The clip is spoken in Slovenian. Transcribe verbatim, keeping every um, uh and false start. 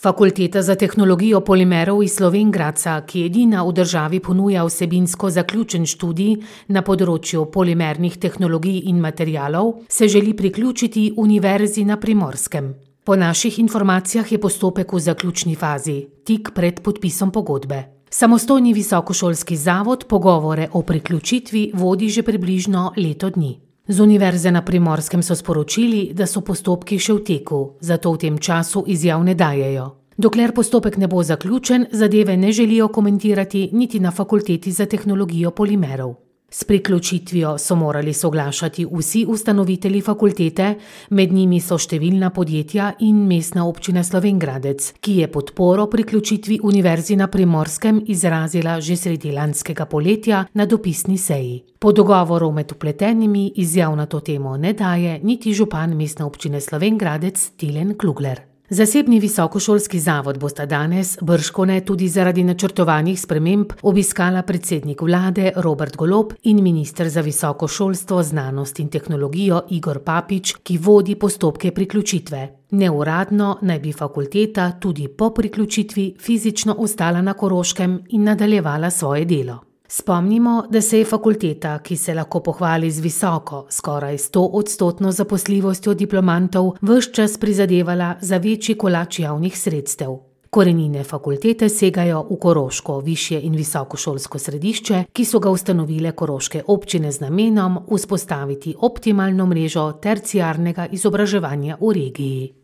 Fakulteta za tehnologijo polimerov iz Slovenj Gradca, ki edina v državi ponuja vsebinsko zaključen študij na področju polimernih tehnologij in materialov, se želi priključiti Univerzi na Primorskem. Po naših informacijah je postopek v zaključni fazi, tik pred podpisom pogodbe. Samostojni visokošolski zavod pogovore o priključitvi vodi že približno leto dni. Z Univerze na Primorskem so sporočili, da so postopki še v teku, zato v tem času izjav ne dajejo. Dokler postopek ne bo zaključen, zadeve ne želijo komentirati niti na Fakulteti za tehnologijo polimerov. S priključitvijo so morali soglašati vsi ustanovitelji fakultete, med njimi so številna podjetja in Mestna občina Slovenj Gradec, ki je podporo priključitvi Univerzi na Primorskem izrazila že sredi lanskega poletja na dopisni seji. Po dogovoru med vpletenimi izjav na to temo ne daje niti župan Mestne občine Slovenj Gradec Tilen Klugler. Zasebni visokošolski zavod bosta danes, bržkone tudi zaradi načrtovanih sprememb, obiskala predsednik vlade Robert Golob in minister za visoko šolstvo, znanost in tehnologijo Igor Papič, ki vodi postopke priključitve. Neuradno naj bi fakulteta tudi po priključitvi fizično ostala na Koroškem in nadaljevala svoje delo. Spomnimo, da se je fakulteta, ki se lahko pohvali z visoko, skoraj stoodstotno zaposljivostjo diplomantov, ves čas prizadevala za večji kolač javnih sredstev. Korenine fakultete segajo v koroško višje in visokošolsko središče, ki so ga ustanovile koroške občine z namenom vzpostaviti optimalno mrežo terciarnega izobraževanja v regiji.